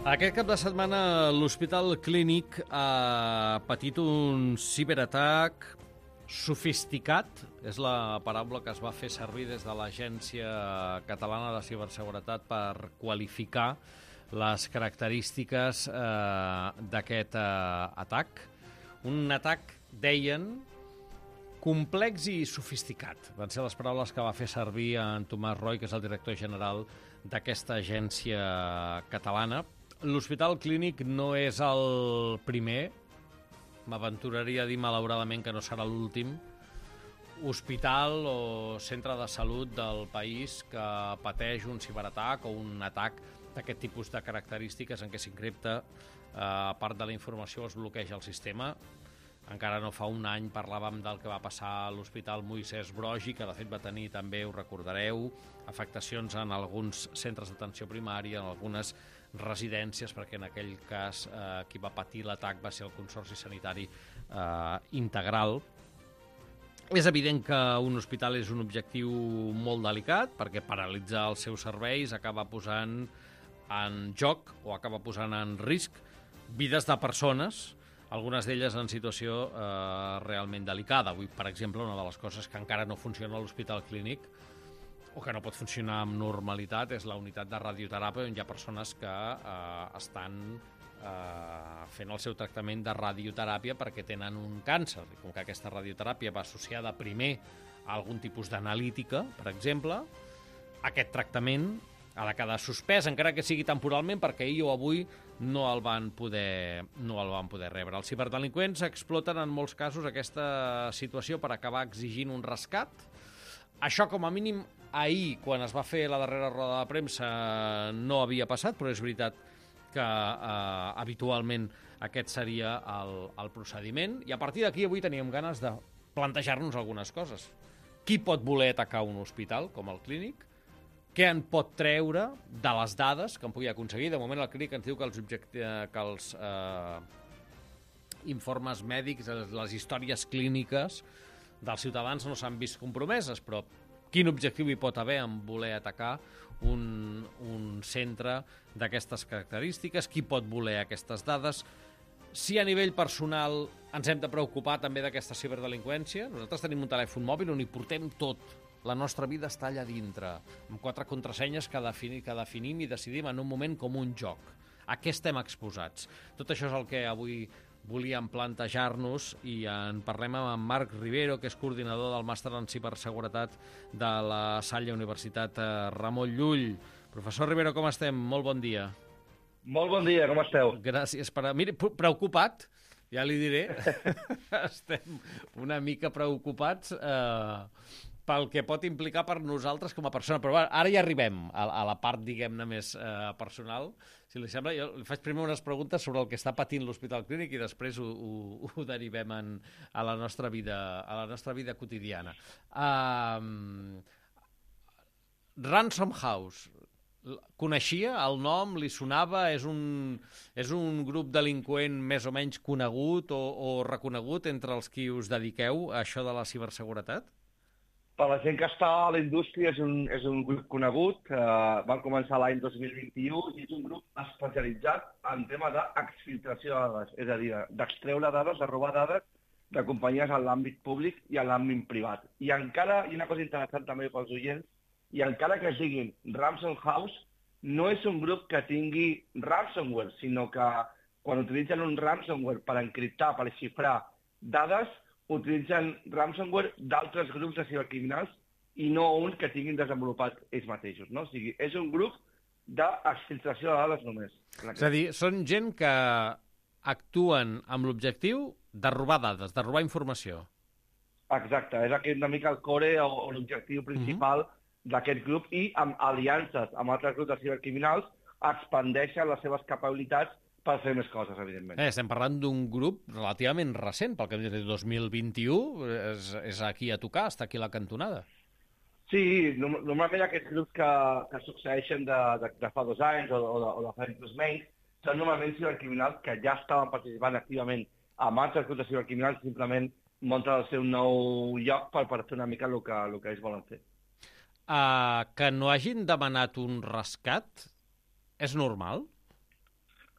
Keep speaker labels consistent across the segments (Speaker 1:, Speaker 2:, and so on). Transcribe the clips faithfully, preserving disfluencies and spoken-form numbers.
Speaker 1: Aquest cap de setmana l'Hospital Clínic ha patit un ciberatac sofisticat, és la paraula que es va fer servir des de l'Agència Catalana de Ciberseguretat per qualificar les característiques eh, d'aquest eh, atac. Un atac, deien, complex i sofisticat. Van ser les paraules que va fer servir en Tomàs Roy, que és el director general d'aquesta agència catalana. L'Hospital Clínic no és el primer, m'aventuraria a dir malauradament que no serà l'últim, hospital o centre de salut del país que pateix un ciberatac o un atac d'aquest tipus de característiques en què s'encripta, eh, a part de la informació, es bloqueja el sistema. Encara no fa un any parlàvem del que va passar a l'Hospital Moisès Broggi, que de fet va tenir també, ho recordareu, afectacions en alguns centres d'atenció primària, en algunes residències, perquè en aquell cas eh, qui va patir l'atac va ser el Consorci Sanitari eh, Integral. És evident que un hospital és un objectiu molt delicat, perquè paralitzar els seus serveis acaba posant en joc o acaba posant en risc vides de persones, algunes d'elles en situació eh, realment delicada. Avui, per exemple, una de les coses que encara no funciona a l'Hospital Clínic o que no pot funcionar amb normalitat és la unitat de radioteràpia, on hi ha persones que eh, estan eh, fent el seu tractament de radioteràpia perquè tenen un càncer. I com que aquesta radioteràpia va associada primer a algun tipus d'analítica, per exemple, aquest tractament ha de quedar suspès, encara que sigui temporalment, perquè ahir o avui no el van poder, no el van poder rebre. Els ciberdelinqüents exploten en molts casos aquesta situació per acabar exigint un rescat. Això, com a mínim, ahir, quan es va fer la darrera roda de premsa, no havia passat, però és veritat que eh, habitualment aquest seria el, el procediment. I a partir d'aquí avui teníem ganes de plantejar-nos algunes coses. Qui pot voler atacar un hospital, com el Clínic? Què en pot treure de les dades que en pugui aconseguir? De moment el Clínic ens diu que els, objecti... que els eh, informes mèdics, les històries clíniques dels ciutadans no s'han vist compromeses, però quin objectiu hi pot haver en voler atacar un, un centre d'aquestes característiques? Qui pot voler aquestes dades? Si a nivell personal ens hem de preocupar també d'aquesta ciberdelinqüència, nosaltres tenim un telèfon mòbil on hi portem tot. La nostra vida està allà dintre, amb quatre contrasenyes que, defini, que definim i decidim en un moment com un joc. A què estem exposats? Tot això és el que avui volíem plantejar-nos i en parlem amb en Marc Rivero, que és coordinador del màster en ciberseguretat de la Salle Universitat Ramon Llull. Professor Rivero, com estem? Molt bon dia.
Speaker 2: Molt bon dia, com esteu?
Speaker 1: Gràcies. Per... Miri, preocupat, ja li diré. Estem una mica preocupats eh, pel que pot implicar per nosaltres com a persona. Però bueno, ara ja arribem a, a la part, diguem-ne, més eh, personal. Si li sembla, jo li faig primer unes preguntes sobre el que està patint l'Hospital Clínic i després ho, ho, ho derivem en, a, la nostra vida, a la nostra vida quotidiana. Um, Ransom House. Coneixia el nom? Li sonava? És un, és un grup delinqüent més o menys conegut o, o reconegut entre els qui us dediqueu a això de la ciberseguretat?
Speaker 2: Per la gent que està a la indústria és un, és un grup conegut. Uh, van començar l'any dos mil vint-i-u i és un grup especialitzat en tema d'exfiltració de dades, és a dir, d'extreure dades, de robar dades de companyies en l'àmbit públic i en l'àmbit privat. I encara, i una cosa interessant també pels oients, i encara que es diguin Ransom House, no és un grup que tingui ransomware, sinó que quan utilitzen un ransomware per encriptar, per xifrar dades, utilitzen ransomware d'altres grups de cibercriminals i no un que tinguin desenvolupat ells mateixos, no? O sigui, és un grup d'exfiltració de dades només.
Speaker 1: És a dir, són gent que actuen amb l'objectiu de robar dades, de robar informació.
Speaker 2: Exacte, és aquest una mica el core o, o l'objectiu principal uh-huh. d'aquest grup i amb aliances amb altres grups de cibercriminals expandeixen les seves capacitats per fer més coses, evidentment.
Speaker 1: Eh, estem parlant d'un grup relativament recent, pel que hem dit, dos mil vint-i-u, és, és aquí a tocar, està aquí a la cantonada.
Speaker 2: Sí, normalment aquests grups que, que succeeixen de, de, de fa dos anys o, o, de, o de fa inclús menys, són normalment cibercriminals que ja estaven participant activament amb altres grups de cibercriminals, simplement munten el seu nou lloc per, per fer una mica el que, el que ells volen fer.
Speaker 1: Uh, que no hagin demanat un rescat és normal?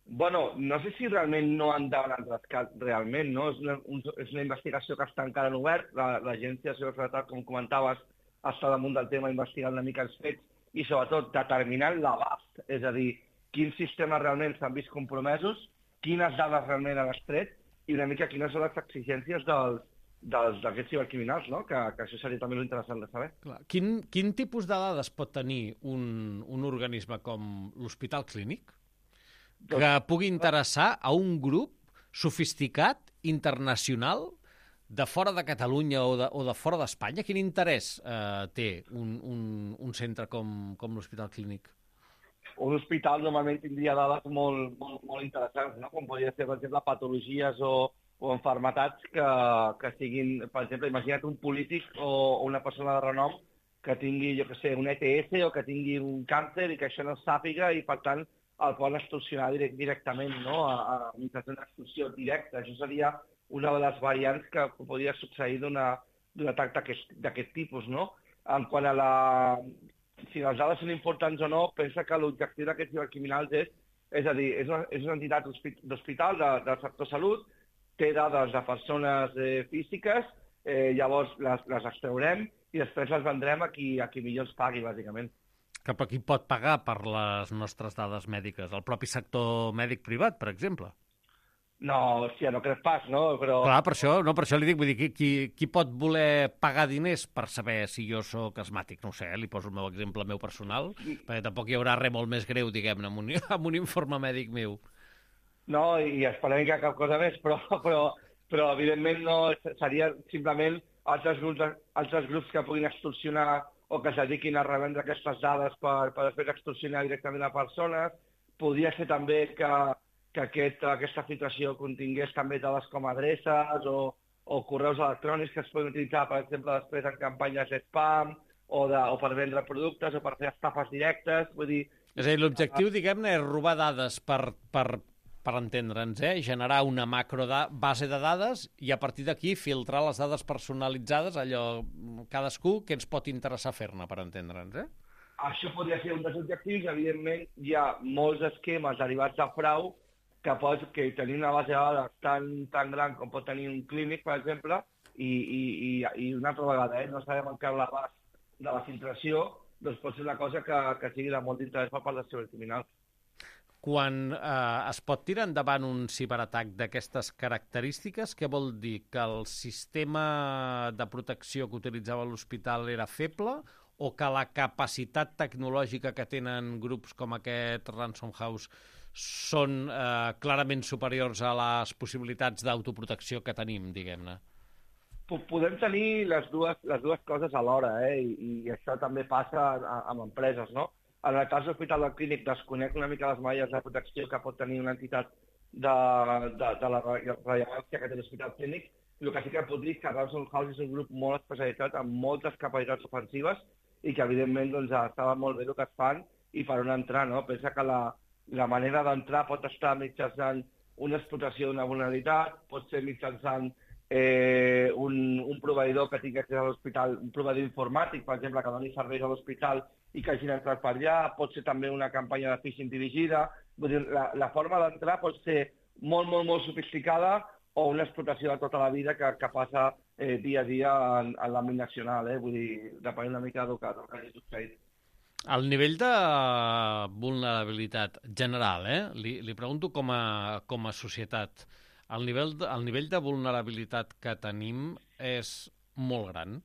Speaker 2: Bueno, no sé si realment no han demanat rescat realment, no? És una, un, és una investigació que està encara en obert. La- L'Agència de Seguretat, com comentaves, està damunt del tema investigant una mica els fets i, sobretot, determinant l'abast. És a dir, quins sistemes realment s'han vist compromesos, quines dades realment han extret i una mica quines són les exigències dels dels- d'aquests cibercriminals, no? Que, que això seria també interessant de saber.
Speaker 1: Clar. Quin, quin tipus de dades pot tenir un, un organisme com l'Hospital Clínic que pugui interessar a un grup sofisticat, internacional, de fora de Catalunya o de, o de fora d'Espanya? Quin interès eh, té un, un, un centre com, com l'Hospital Clínic?
Speaker 2: Un hospital normalment tindria dades molt, molt, molt interessants, no? Com podria ser, per exemple, patologies o, o enfermetats que, que siguin, per exemple, imagina't un polític o, o una persona de renom que tingui, jo que sé, un E T S o que tingui un càncer i que això no es sàpiga i, per tant, el poden extorsionar direct, directament, no? A, a mitjançant d'extorsió directa. Això seria una de les variants que podria succeir d'una d'un atac d'aquest tipus, no? En quant a la... si les dades són importants o no, pensa que l'objectiu d'aquests cibercriminals és, és a dir, és una, és una entitat d'hospital de, del sector salut, té dades de persones eh, físiques, eh, llavors les, les extraurem i després les vendrem a qui, a qui millor ens pagui, bàsicament.
Speaker 1: Cap a qui pot pagar per les nostres dades mèdiques? El propi sector mèdic privat, per exemple?
Speaker 2: No, hòstia, no crec pas, no? Però...
Speaker 1: Clar, per això, no, per això li dic, vull dir, qui, qui, qui pot voler pagar diners per saber si jo sóc asmàtic? No ho sé, eh? Li poso el meu exemple meu personal, perquè tampoc hi haurà res molt més greu, diguem-ne, amb, un, amb un informe mèdic meu.
Speaker 2: No, i esperem que cap cosa més, però, però, però evidentment no seria simplement altres grups, altres grups que puguin extorsionar o que es dediquin a revendre aquestes dades per, per després extorsionar directament a persones. Podria ser també que, que aquest, aquesta filtració contingués també dades com adreces o, o correus electrònics que es poden utilitzar, per exemple, després en campanyes de spam o, de, o per vendre productes o per fer estafes directes. Vull dir...
Speaker 1: És a dir, l'objectiu, diguem-ne, és robar dades per, per, per entendre'ns, eh? Generar una macro da base de dades i a partir d'aquí filtrar les dades personalitzades, allò, cadascú, que ens pot interessar fer-ne, per entendre'ns, eh?
Speaker 2: Això podria ser un dels objectius. Evidentment, hi ha molts esquemes derivats de frau que pot que tenir una base de dades tan, tan gran com pot tenir un clínic, per exemple, i, i, i, i una altra vegada, eh? No sabem encara l'abast de la filtració, doncs pot ser una cosa que, que sigui de molt d'interès per part dels cibercriminals.
Speaker 1: Quan eh, es pot tirar endavant un ciberatac d'aquestes característiques, què vol dir? Que el sistema de protecció que utilitzava l'hospital era feble o que la capacitat tecnològica que tenen grups com aquest Ransom House són eh, clarament superiors a les possibilitats d'autoprotecció que tenim, diguem-ne?
Speaker 2: Podem tenir les dues, les dues coses alhora, eh? I, i això també passa amb empreses, no? En el cas de l'Hospital del Clínic desconec una mica les malles de protecció que pot tenir una entitat de, de, de la rellevància que té l'Hospital Clínic. El que sí que puc dir és que Ransom House és un grup molt especialitzat amb moltes capacitats ofensives i que, evidentment, doncs, estava molt bé el que es fan i per on entrar, no? Pensa que la, la manera d'entrar pot estar mitjançant una explotació d'una vulnerabilitat, pot ser mitjançant eh, un, un proveïdor que tingui accés a l'hospital, un proveïdor informàtic, per exemple, que doni serveis a l'hospital i que hagin entrat per allà, pot ser també una campanya de phishing dirigida. Vull dir, la, la forma d'entrar pot ser molt, molt, molt sofisticada o una explotació de tota la vida que, que passa eh, dia a dia en, en l'àmbit nacional, eh? Vull dir, depèn una mica del que, del que hagi succeït.
Speaker 1: El nivell de vulnerabilitat general, eh? li, li pregunto com a, com a societat, el nivell, de, el nivell de vulnerabilitat que tenim és molt gran?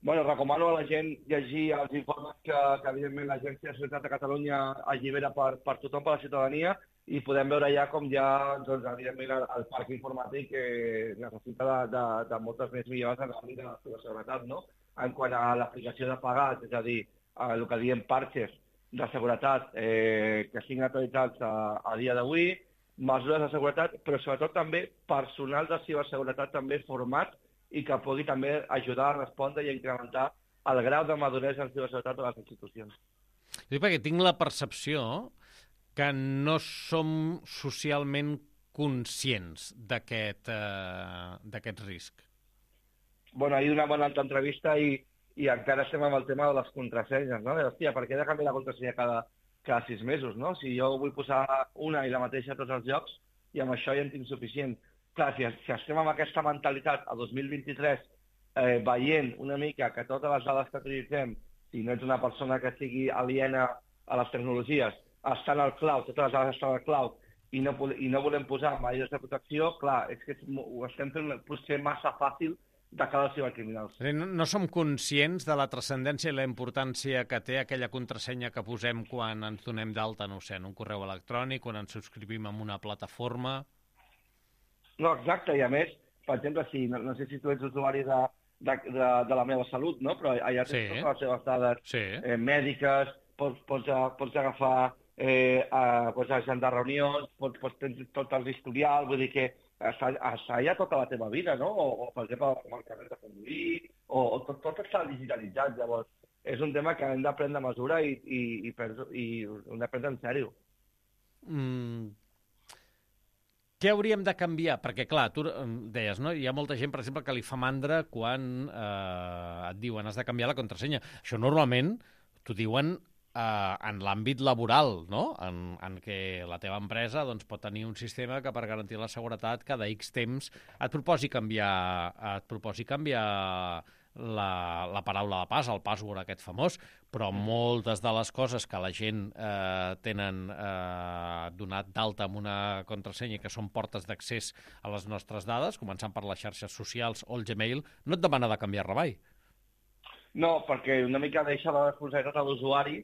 Speaker 2: Bueno, recomano a la gent llegir els informes que, que evidentment, l'Agència de Seguretat de Catalunya allibera per, per tothom, per la ciutadania, i podem veure ja com ja, doncs, evidentment, el, el parc informàtic eh, necessita de, de, de moltes més millores en l'àmbit de la seguretat, no? En quant a l'aplicació de pagats, és a dir, el que diem parches de seguretat eh, que siguin actualitzats a, a dia d'avui, mesures de seguretat, però sobretot també personal de ciberseguretat també format i que pugui també ajudar a respondre i a incrementar el grau de maduresa en ciberseguretat de les institucions.
Speaker 1: Sí, perquè tinc la percepció que no som socialment conscients d'aquest eh, d'aquest risc.
Speaker 2: Bueno, ahir una bona altra entrevista i, i encara estem amb el tema de les contrasenyes, no? De, hòstia, per què he de canviar la contrasenya cada, cada sis mesos, no? Si jo vull posar una i la mateixa a tots els llocs, i amb això ja en tinc suficient. Clar, si, si estem amb aquesta mentalitat a dos mil vint-i-tres, eh, veient una mica que totes les dades que utilitzem, si no ets una persona que sigui aliena a les tecnologies, estan al cloud, totes les dades estan al cloud, i no, i no volem posar medides de protecció, clar, és que ho estem fent potser massa fàcil de cara als cibercriminals.
Speaker 1: No, no som conscients de la transcendència i la importància que té aquella contrasenya que posem quan ens donem d'alta, no ho sé, en un correu electrònic, quan ens subscrivim en una plataforma.
Speaker 2: No, exacte, i a més, per exemple, si, no, no sé si tu ets usuari de, de, de, de la meva salut, no? Però allà tens sí. totes les teves dades
Speaker 1: sí.
Speaker 2: eh, mèdiques, pots, pots, pots agafar, eh, a, pots agendar reunions, pots, pots tenir tot el historial, vull dir que està, està allà tota la teva vida, no? O, o per exemple, com el carnet de conduir, o, o tot, tot està digitalitzat, llavors. És un tema que hem de prendre mesura i, i, i, i hem de prendre en sèrio.
Speaker 1: Mm. Què hauríem de canviar? Perquè, clar, tu deies, no? Hi ha molta gent, per exemple, que li fa mandra quan eh, et diuen has de canviar la contrasenya. Això normalment t'ho diuen eh, en l'àmbit laboral, no? En, en què la teva empresa doncs, pot tenir un sistema que per garantir la seguretat cada X temps et proposi canviar, et proposi canviar la, la paraula de pas, el password aquest famós, però moltes de les coses que la gent eh, tenen eh, donat d'alta amb una contrasenya que són portes d'accés a les nostres dades, començant per les xarxes socials o el Gmail, no et demana de canviar-la mai.
Speaker 2: No, perquè una mica deixa la responsabilitat a l'usuari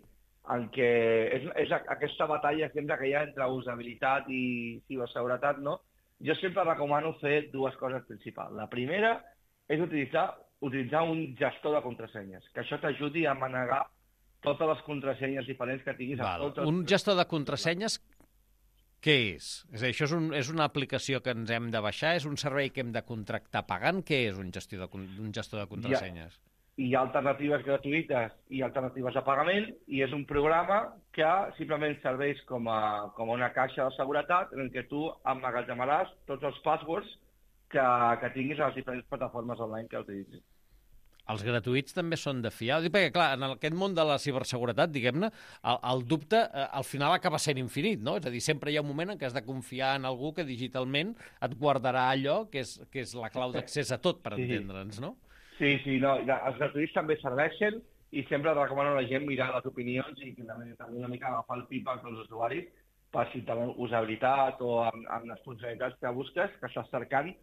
Speaker 2: en què és, és aquesta batalla sempre que hi ha entre usabilitat i ciberseguretat, no? Jo sempre recomano fer dues coses principals. La primera és utilitzar utilitzar un gestor de contrasenyes, que això t'ajudi a manegar totes les contrasenyes diferents que tinguis.
Speaker 1: Val. Els... Un gestor de contrasenyes, què és? És a dir, això és, un, és una aplicació que ens hem de baixar? És un servei que hem de contractar pagant? Què és un gestor de, un gestor de contrasenyes?
Speaker 2: Hi ha, hi ha alternatives gratuïtes i alternatives de pagament, i és un programa que simplement serveix com a, com a una caixa de seguretat en què tu emmagatzemaràs tots els passwords que, que tinguis a les diferents plataformes online que utilitzis.
Speaker 1: Els gratuïts també són de fiar? Perquè, clar, en aquest món de la ciberseguretat, diguem-ne, el, el dubte eh, al final acaba sent infinit, no? És a dir, sempre hi ha un moment en què has de confiar en algú que digitalment et guardarà allò que és, que és la clau d'accés a tot, per sí. entendre'ns, no?
Speaker 2: Sí, sí, no, els gratuïts també serveixen i sempre recomano a la gent mirar les opinions i també, també una mica agafar el feedback dels usuaris per si també usabilitat o amb, amb les funcionalitats que busques, que estàs cercant,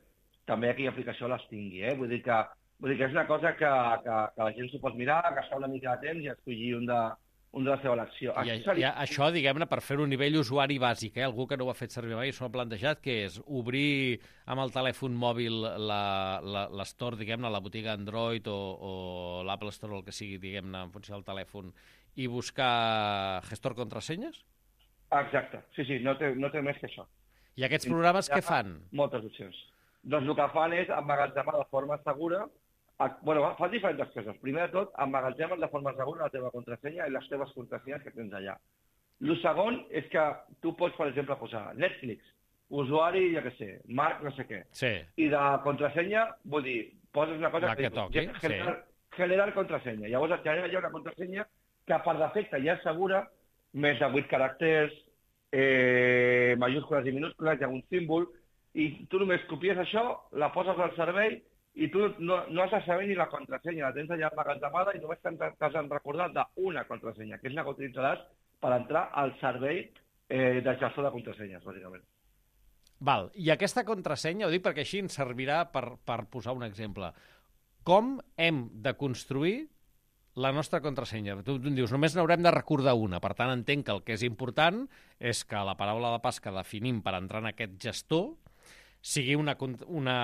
Speaker 2: també aquella aplicació les tingui, eh? Vull dir que, vull dir que és una cosa que, que, que la gent s'ho pot mirar, gastar una mica de temps i escollir un de, un de la seva elecció.
Speaker 1: I, això, i això, diguem-ne, per fer un nivell usuari bàsic, eh? Algú que no ho ha fet servir mai, s'ho ha plantejat, que és obrir amb el telèfon mòbil l'Store, diguem-ne, la botiga Android o, o l'Apple Store o el que sigui, diguem-ne, en funció del telèfon, i buscar gestor contrasenyes?
Speaker 2: Exacte, sí, sí, no té, no té més que això.
Speaker 1: I aquests programes què fan?
Speaker 2: Moltes opcions. Doncs el que fan és emmagatzemar de forma segura, a, bueno, fan diferents coses. Primer de tot, emmagatzemen de forma segura la teva contrasenya i les teves contrasenyes que tens allà. El segon és que tu pots, per exemple, posar Netflix, usuari, jo què sé, Marc no sé què.
Speaker 1: Sí.
Speaker 2: I de contrasenya, vull dir, poses una cosa
Speaker 1: la que, que toqui,
Speaker 2: generar,
Speaker 1: sí.
Speaker 2: generar contrasenya. Llavors et genera allà una contrasenya que per defecte ja és segura, més de vuit caràcters, eh, majúscules i minúscules, hi ha un símbol, i tu només copies això, la poses al servei i tu no, no has de saber ni la contrasenya, la tens allà emmagatzemada i només t'has recordat d'una contrasenya, que és la que utilitzaràs per entrar al servei eh, de gestor de contrasenyes, bàsicament.
Speaker 1: Val, i aquesta contrasenya, ho dic perquè així ens servirà per, per posar un exemple. Com hem de construir la nostra contrasenya? Tu, tu em dius, només n'haurem de recordar una, per tant entenc que el que és important és que la paraula de pas que definim per entrar en aquest gestor sigui una, una...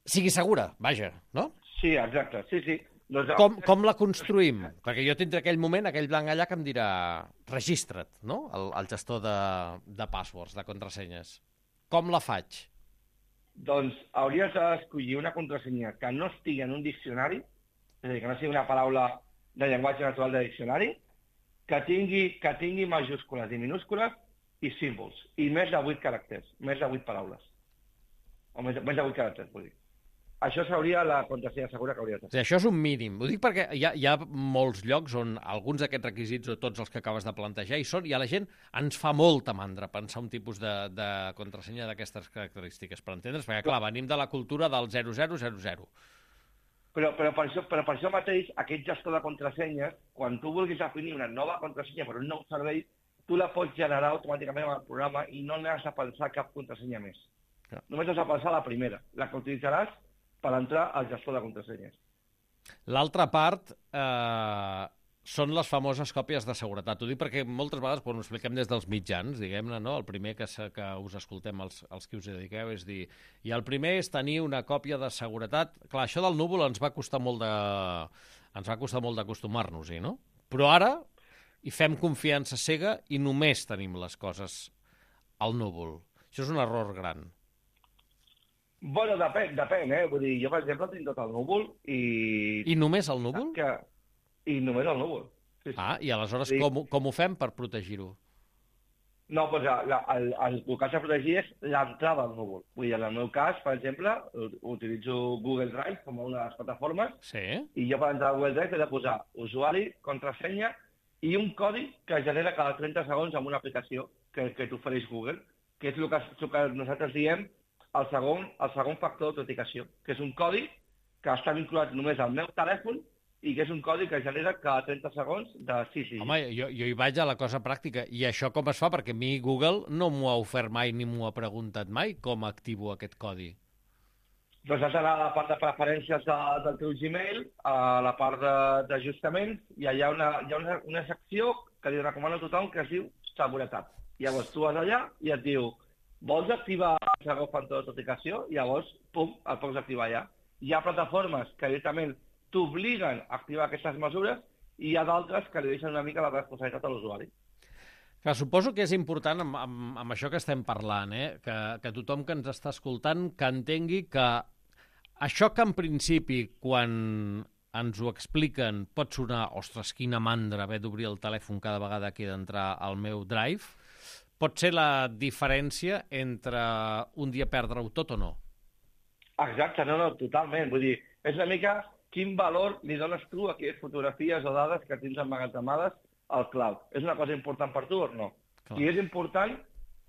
Speaker 1: sigui segura, vaja, no?
Speaker 2: Sí, exacte, sí, sí.
Speaker 1: Doncs... Com, com la construïm? Perquè jo tindré aquell moment, aquell blanc allà que em dirà registra't, no? El, el gestor de, de passwords, de contrasenyes. Com la faig?
Speaker 2: Doncs hauries d'escollir una contrasenya que no estigui en un diccionari, és a dir, que no sigui una paraula de llenguatge natural de diccionari, que tingui, que tingui majúscules i minúscules i símbols, i més de vuit caràcters, més de vuit paraules. O més, més de vuit caràcters, vull dir. això seria la contrasenya segura que hauria de
Speaker 1: ser. Això és un mínim. Ho dic perquè hi ha, hi ha molts llocs on alguns d'aquests requisits o tots els que acabes de plantejar hi són, i a la gent ens fa molta mandra pensar un tipus de, de contrasenya d'aquestes característiques, per entendre's, perquè clar, venim de la cultura del zero zero zero zero.
Speaker 2: Però, però, per això, però per això mateix, aquest gestor de contrasenyes, quan tu vulguis definir una nova contrasenya per un nou servei, tu la pots generar automàticament amb el programa i no n'has de pensar cap contrasenya més. Ja. Només has de pensar la primera, la que utilitzaràs per entrar al gestor de contrasenyes.
Speaker 1: L'altra part eh, són les famoses còpies de seguretat. Ho dic perquè moltes vegades, quan ho expliquem des dels mitjans, diguem-ne, no? El primer que, que us escoltem, els, els que us dediqueu, és dir, i el primer és tenir una còpia de seguretat. Clar, això del núvol ens va costar molt de, ens va costar molt d'acostumar-nos-hi, no? Però ara hi fem confiança cega i només tenim les coses al núvol. Això és un error gran.
Speaker 2: Bueno, depèn, depèn, eh? Vull dir, jo, per exemple, tinc tot el núvol i...
Speaker 1: I només el núvol?
Speaker 2: Que... I només el núvol. Sí, sí.
Speaker 1: Ah, i aleshores sí. com, com ho fem per protegir-ho?
Speaker 2: No, doncs la, el, el, el que has de protegir és l'entrada al núvol. Vull dir, en el meu cas, per exemple, utilitzo Google Drive com una de les plataformes,
Speaker 1: sí.
Speaker 2: I jo per entrar a Google Drive he de posar usuari, contrasenya i un codi que es genera cada trenta segons amb una aplicació que, que t'ofereix Google, que és el que, el que nosaltres diem el segon, el segon factor d'autenticació, que és un codi que està vinculat només al meu telèfon i que és un codi que genera cada trenta segons de sis dígits.
Speaker 1: Home, jo, jo hi vaig a la cosa pràctica. I això com es fa? Perquè a mi Google no m'ho ha ofert mai ni m'ho ha preguntat mai com activo aquest codi.
Speaker 2: Doncs has d'anar a la part de preferències de, del teu Gmail, a la part d'ajustaments, i hi ha, una, hi ha una, una secció que li recomano a tothom que es diu seguretat. Llavors tu vas allà i et diu vols activar el segon factor d'autenticació? I llavors, pum, el pots activar allà. Hi ha plataformes que directament t'obliguen a activar aquestes mesures i hi ha d'altres que li deixen una mica la responsabilitat a l'usuari.
Speaker 1: Clar, suposo que és important, amb, amb, amb això que estem parlant, eh? que, que tothom que ens està escoltant que entengui que això que en principi, quan ens ho expliquen, pot sonar, ostres, quina mandra haver d'obrir el telèfon cada vegada que he d'entrar al meu Drive, pot ser la diferència entre un dia perdre-ho tot o no?
Speaker 2: Exacte, no, no, totalment. Vull dir, és una mica quin valor li dones tu a aquelles fotografies o dades que tens emmagatzemades al cloud. És una cosa important per tu o no? Clar. Si és important,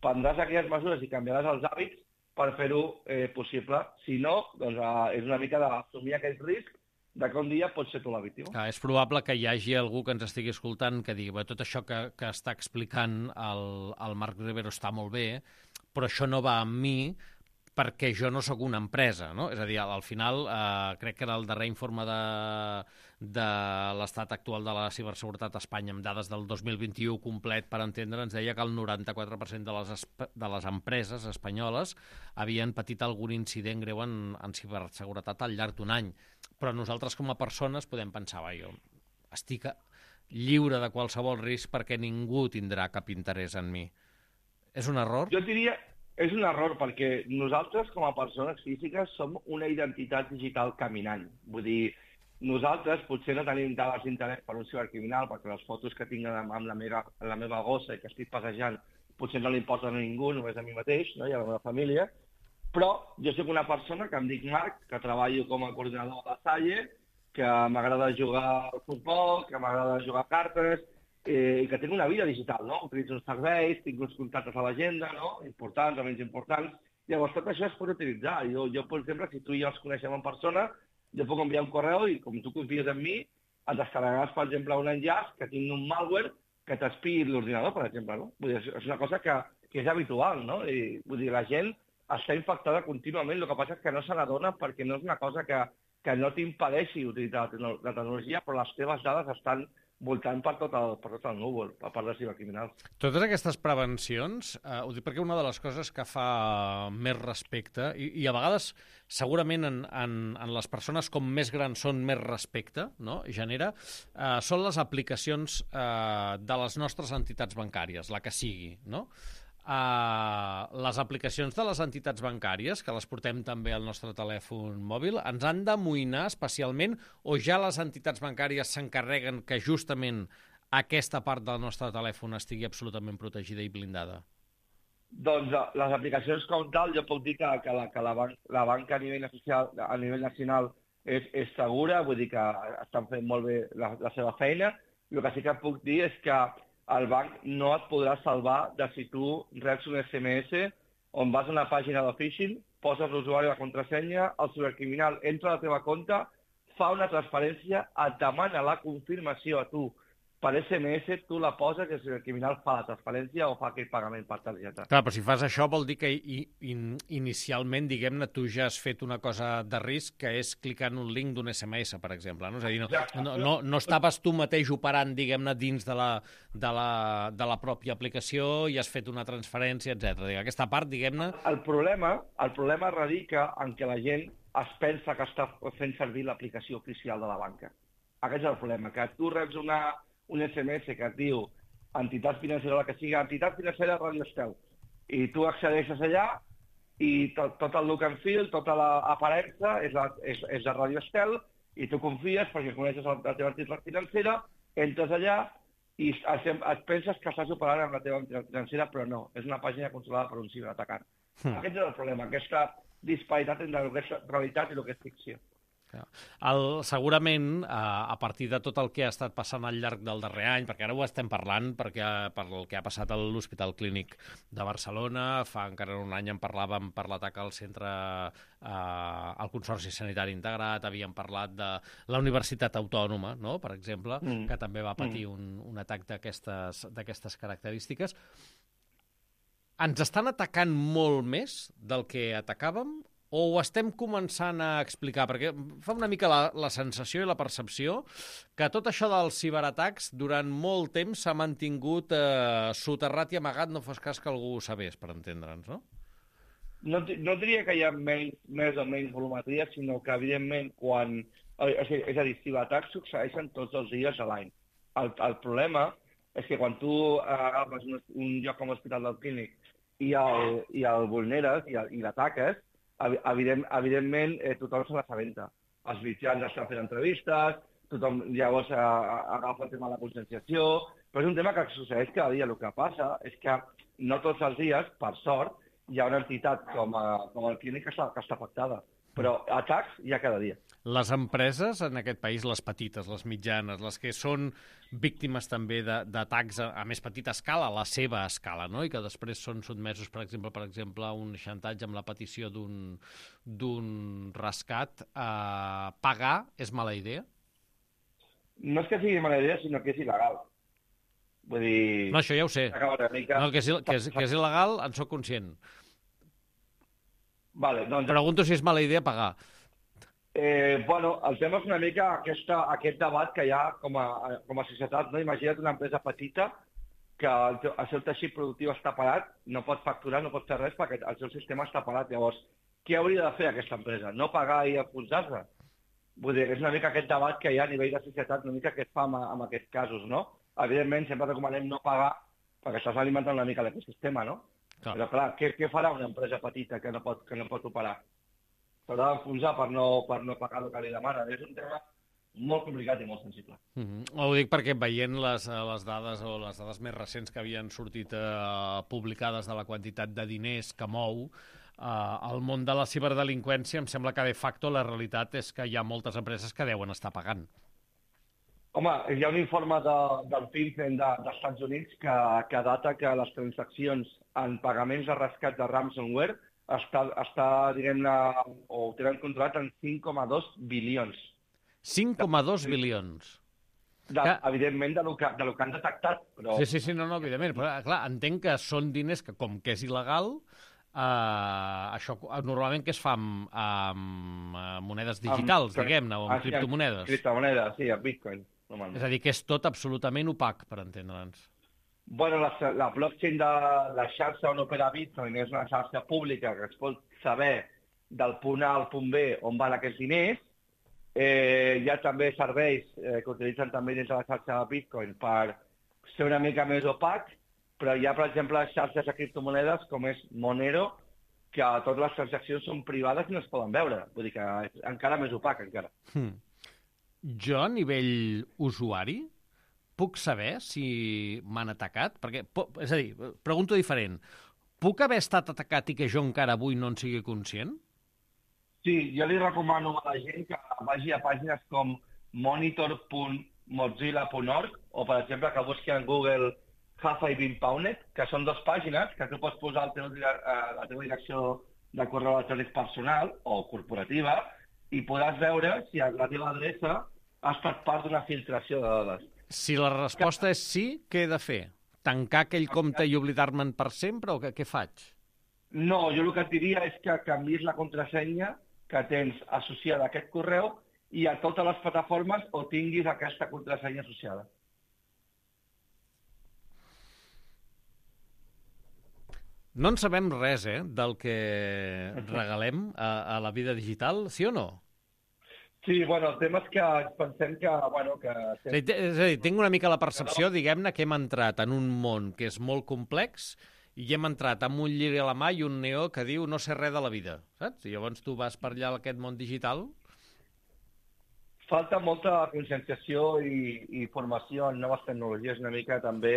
Speaker 2: prendràs aquelles mesures i canviaràs els hàbits per fer-ho eh, possible. Si no, doncs eh, és una mica d'assumir aquest risc de que un dia pot ser tu la víctima.
Speaker 1: Clar, és probable que hi hagi algú que ens estigui escoltant que digui tot això que, que està explicant el, el Marc Rivero està molt bé, però això no va amb mi perquè jo no sóc una empresa, no? És a dir, al final, eh, crec que en el darrer informe de, de l'estat actual de la ciberseguretat a Espanya, amb dades del dos mil vint-i-u complet, per entendre, ens deia que el noranta-quatre per cent de les, de les empreses espanyoles havien patit algun incident greu en, en ciberseguretat al llarg d'un any. Però nosaltres com a persones podem pensar, va, jo estic lliure de qualsevol risc perquè ningú tindrà cap interès en mi. És un error?
Speaker 2: Jo diria... És un error perquè nosaltres, com a persones físiques, som una identitat digital caminant. Vull dir, nosaltres potser no tenim dades d'interès per un cibercriminal perquè les fotos que tinc amb la meva, la meva gossa i que estic passejant potser no li importen a ningú, només a mi mateix, no? I a la meva família, però jo soc una persona que em dic Marc, que treballo com a coordinador de la Salle, que m'agrada jugar al futbol, que m'agrada jugar a cartes, Eh, i que tinc una vida digital, no? Utilitzo uns serveis, tinc uns contactes a l'agenda, no? Importants o menys importants. Llavors, tot això es pot utilitzar. Jo, jo, per exemple, si tu i jo ens coneixem en persona, jo puc enviar un correu i, com tu confies en mi, et descarregaràs, per exemple, un enllaç que tingui un malware que t'espiï l'ordinador, per exemple, no? Vull dir, és una cosa que, que és habitual, no? I, vull dir, la gent està infectada contínuament, el que passa és que no se n'adona perquè no és una cosa que, que no t'impedeixi utilitzar la, la tecnologia, però les teves dades estan voltant per tot el, per tot el núvol, per part de cibercriminals.
Speaker 1: Totes aquestes prevencions, eh, ho dic perquè una de les coses que fa més respecte, i, i a vegades segurament en, en, en les persones com més grans són més respecte, no? Genera, eh, són les aplicacions eh, de les nostres entitats bancàries, la que sigui, no? Uh, les aplicacions de les entitats bancàries, que les portem també al nostre telèfon mòbil, ens han d'amoïnar especialment o ja les entitats bancàries s'encarreguen que justament aquesta part del nostre telèfon estigui absolutament protegida i blindada?
Speaker 2: Doncs eh, les aplicacions com tal, jo puc dir que, que, la, que la, ban la banca a nivell, social, a nivell nacional és, és segura, vull dir que estan fent molt bé la, la seva feina. El que sí que puc dir és que el banc no et podrà salvar de si tu reps un S M S on vas a una pàgina de phishing, poses l'usuari i la contrasenya, el cibercriminal entra a la teva compte, fa una transferència, et demana la confirmació a tu per S M S, tu la poses i el criminal fa la transferència o fa aquell pagament per targeta.
Speaker 1: Clar, però si fas això vol dir que i, in, inicialment, diguem-ne, tu ja has fet una cosa de risc, que és clicar en un link d'un S M S, per exemple. No? És a dir, no, no, no, no estaves tu mateix operant, diguem-ne, dins de la, de, la, de la pròpia aplicació i has fet una transferència, etcètera. Aquesta part, diguem-ne...
Speaker 2: El problema, el problema radica en què la gent es pensa que està fent servir l'aplicació oficial de la banca. Aquest és el problema, que tu reps una... un S M S que et diu entitat financera, la que sigui, entitat financera Radio Estel. I tu accedeixes allà i tot, tot el look and feel, tota l'aparença és, la, és, és de Radio Estel i tu confies perquè coneixes la, la teva entitat financera, entres allà i et, et penses que estàs operant amb la teva entitat financera, però no, és una pàgina controlada per un ciberatacant. Mm. Aquest és el problema, aquesta disparitat entre el que és realitat i el que és ficció.
Speaker 1: El, segurament, a, a partir de tot el que ha estat passant al llarg del darrer any, perquè ara ho estem parlant perquè, per el que ha passat a l'Hospital Clínic de Barcelona, fa encara un any en parlàvem per l'atac al centre, eh, al Consorci Sanitari Integrat, havíem parlat de la Universitat Autònoma, no?, per exemple, mm. que també va patir mm. un, un atac d'aquestes característiques. Ens estan atacant molt més del que atacàvem o ho estem començant a explicar? Perquè fa una mica la, la sensació i la percepció que tot això dels ciberatacs durant molt temps s'ha mantingut eh, soterrat i amagat, no fos cas que algú ho sabés, per entendre'ns, no?
Speaker 2: No, no diria que hi ha menys, més o menys volumetria, sinó que, evidentment, quan... És a dir, ciberatacs succeeixen tots els dies a l'any. El, el problema és que quan tu agafes un, un lloc com l'Hospital del Clínic i el, i el vulneres i, i l'ataques, Evident, evidentment, eh, tothom se l'assabenta. Els mitjans estan fent entrevistes, tothom llavors eh, agafa el tema de la conscienciació, però és un tema que succeeix cada dia. El que passa és que no tots els dies, per sort, hi ha una entitat com, a, com el Clínic que està, que està afectada, però atacs hi ha cada dia.
Speaker 1: Les empreses en aquest país, les petites, les mitjanes, les que són víctimes també d'atacs a, a més petita escala, a la seva escala, no?, i que després són sotmesos, per exemple, per exemple, a un xantatge amb la petició d'un rescat, eh, pagar és mala idea?
Speaker 2: No és que sigui mala idea, sinó que és il·legal. Vull dir...
Speaker 1: No, això ja ho sé.
Speaker 2: Mica...
Speaker 1: No, que, és, que, és, que és il·legal, en soc conscient.
Speaker 2: Vale, doncs...
Speaker 1: Pregunto si és mala idea pagar.
Speaker 2: Eh, bueno, el tema és una mica aquesta, aquest debat que hi ha com a, com a societat, no? Imagina't una empresa petita que el, teu, el seu teixit productiu està parat, no pot facturar, no pot fer res perquè el seu sistema està parat. Llavors, què hauria de fer aquesta empresa? No pagar i enfonsar-se? Vull dir, és una mica aquest debat que hi ha a nivell de societat, una mica que es fa amb, amb aquests casos, no? Evidentment, sempre recomanem no pagar perquè estàs alimentant una mica l'ecosistema, no? Clar. Però clar, què, què farà una empresa petita que no pot, que no pot operar? S'haurà d'enfonsar per no, per no pagar el que li demana. És un tema molt complicat i molt sensible.
Speaker 1: Mm-hmm. Ho dic perquè veient les, les dades o les dades més recents que havien sortit eh, publicades de la quantitat de diners que mou eh, el món de la ciberdelinqüència, em sembla que de facto la realitat és que hi ha moltes empreses que deuen estar pagant.
Speaker 2: Home, hi ha un informe de, del FinCEN de, dels Estats Units que, que data que les transaccions en pagaments de rescat de ransomware està, està diguem-ne, o tenen controlat en cinc coma dos bilions.
Speaker 1: cinc coma dos bilions.
Speaker 2: De, que... Evidentment, de lo, que, de lo que han detectat. Però...
Speaker 1: Sí, sí, sí, no, no, evidentment. Però, clar, entenc que són diners que, com que és il·legal, eh, això normalment que es fa amb, amb monedes digitals, amb, diguem-ne, o amb ah, criptomonedes.
Speaker 2: Sí, criptomonedes, sí, amb Bitcoin.
Speaker 1: És a dir, que és tot absolutament opac, per entendre'ns.
Speaker 2: Bueno, la, la blockchain de la xarxa on opera Bitcoin és una xarxa pública que es pot saber del punt A al punt B on van aquests diners. Eh, hi ha també serveis eh, que utilitzen també dins de la xarxa de Bitcoin per ser una mica més opac, però hi ha, per exemple, xarxes de criptomonedes com és Monero, que totes les transaccions són privades i no es poden veure. Vull dir que és encara més opac, encara.
Speaker 1: Hmm. Jo, a nivell usuari, puc saber si m'han atacat? Perquè, és a dir, pregunto diferent. puc haver estat atacat i que jo encara avui no en sigui conscient?
Speaker 2: Sí, jo li recomano a la gent que vagi a pàgines com monitor punt mozilla punt org o, per exemple, que busqui en Google Have I Been Pwned, que són dues pàgines que tu pots posar el teu, la teva direcció de correu electrònic personal o corporativa i podràs veure si la teva adreça ha estat part d'una filtració de dades.
Speaker 1: Si la resposta és sí, què he de fer? Tancar aquell compte i oblidar-me'n per sempre o què, què faig?
Speaker 2: No, jo el que et diria és que canviïs la contrasenya que tens associada a aquest correu i a totes les plataformes o tinguis aquesta contrasenya associada.
Speaker 1: No en sabem res, eh, del que regalem a, a la vida digital, sí o no?
Speaker 2: Sí, bueno, el tema és que pensem que... Bueno, que...
Speaker 1: És a dir, és a dir, tinc una mica la percepció, diguem-ne, que hem entrat en un món que és molt complex i hem entrat amb un lliri a la mà i un neó que diu no sé res de la vida, saps? I llavors tu vas per allà a aquest món digital.
Speaker 2: Falta molta conscienciació i, i formació en noves tecnologies, una mica també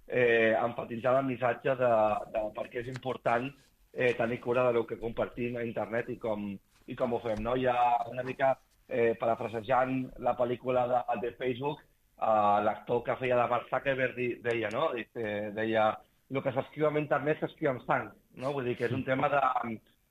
Speaker 2: eh, enfatitzar el missatge de, de per què és important eh, tenir cura del que compartim a internet i com, i com ho fem. No? Hi ha una mica... Eh, parafrasejant la pel·lícula de, de Facebook, eh, l'actor que feia de Mark Zuckerberg deia, no? deia, el que s'escriu en internet s'escriu amb sang, no? Vull dir que és un tema de,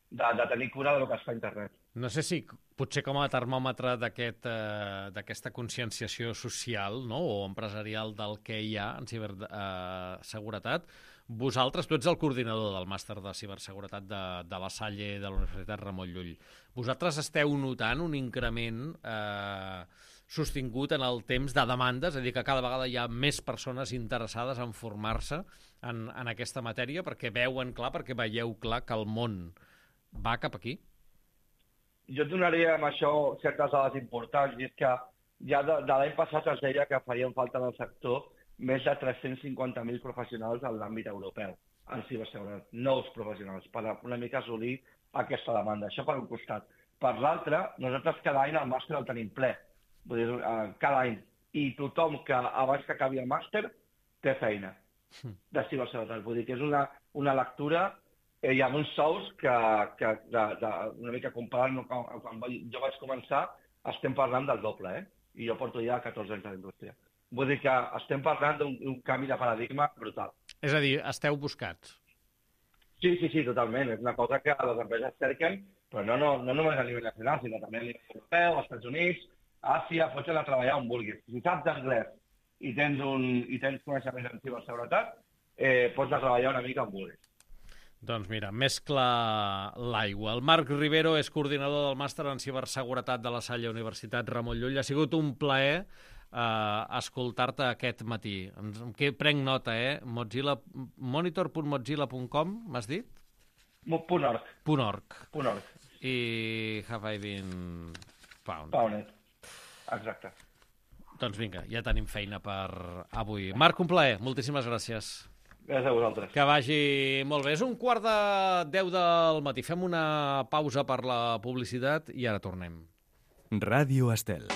Speaker 2: de, de tenir cura del que es fa a internet.
Speaker 1: No sé si potser com a termòmetre d'aquest, eh, d'aquesta conscienciació social, no? O empresarial del que hi ha en ciberseguretat, eh, vosaltres, tu ets el coordinador del màster de ciberseguretat de, de la Salle de la Universitat Ramon Llull. Vosaltres esteu notant un increment eh, sostingut en el temps de demandes, és a dir, que cada vegada hi ha més persones interessades en formar-se en, en aquesta matèria perquè veuen clar, perquè veieu clar que el món va cap aquí?
Speaker 2: Jo et donaria amb això certes dades importants, i és que ja de, de l'any passat es deia que farien falta en el sector més de tres-cents cinquanta mil professionals en l'àmbit europeu, en ciberseguretat, nous professionals, per una mica assolir aquesta demanda. Això per un costat. Per l'altre, nosaltres cada any el màster el tenim ple, vull dir, cada any, i tothom que abans que acabi el màster té feina de ciberseguretat. Vull dir que és una, una lectura eh, i amb uns sous que, que de, de, una mica comparant quan, quan jo vaig començar, estem parlant del doble, eh? I jo porto ja catorze anys a la indústria. Vull dir que estem parlant d'un canvi de paradigma brutal.
Speaker 1: És a dir, esteu buscats.
Speaker 2: Sí, sí, sí, totalment. És una cosa que les empreses cerquen, però no, no, no només a nivell nacional, sinó també a nivell europeu, als Estats Units, Àsia, pots anar a treballar on vulguis. Si saps anglès i tens, un, i tens coneixements en ciberseguretat, eh, pots anar a treballar una mica on vulguis.
Speaker 1: Doncs mira, mescla l'aigua. El Marc Rivero és coordinador del màster en ciberseguretat de la Salle Universitat Ramon Llull. Ha sigut un plaer Uh, escoltar-te aquest matí. En què prenc nota, eh? Mozilla, monitor punt mozilla punt com, m'has dit?
Speaker 2: Punt org.
Speaker 1: Punt org.
Speaker 2: Punt org.
Speaker 1: I Have I Been Pwned.
Speaker 2: Pwned. Exacte.
Speaker 1: Doncs vinga, ja tenim feina per avui. Marc, un plaer. Moltíssimes gràcies.
Speaker 2: Gràcies a vosaltres.
Speaker 1: Que vagi molt bé. És un quart de deu del matí. Fem una pausa per la publicitat i ara tornem.
Speaker 3: Ràdio Estel.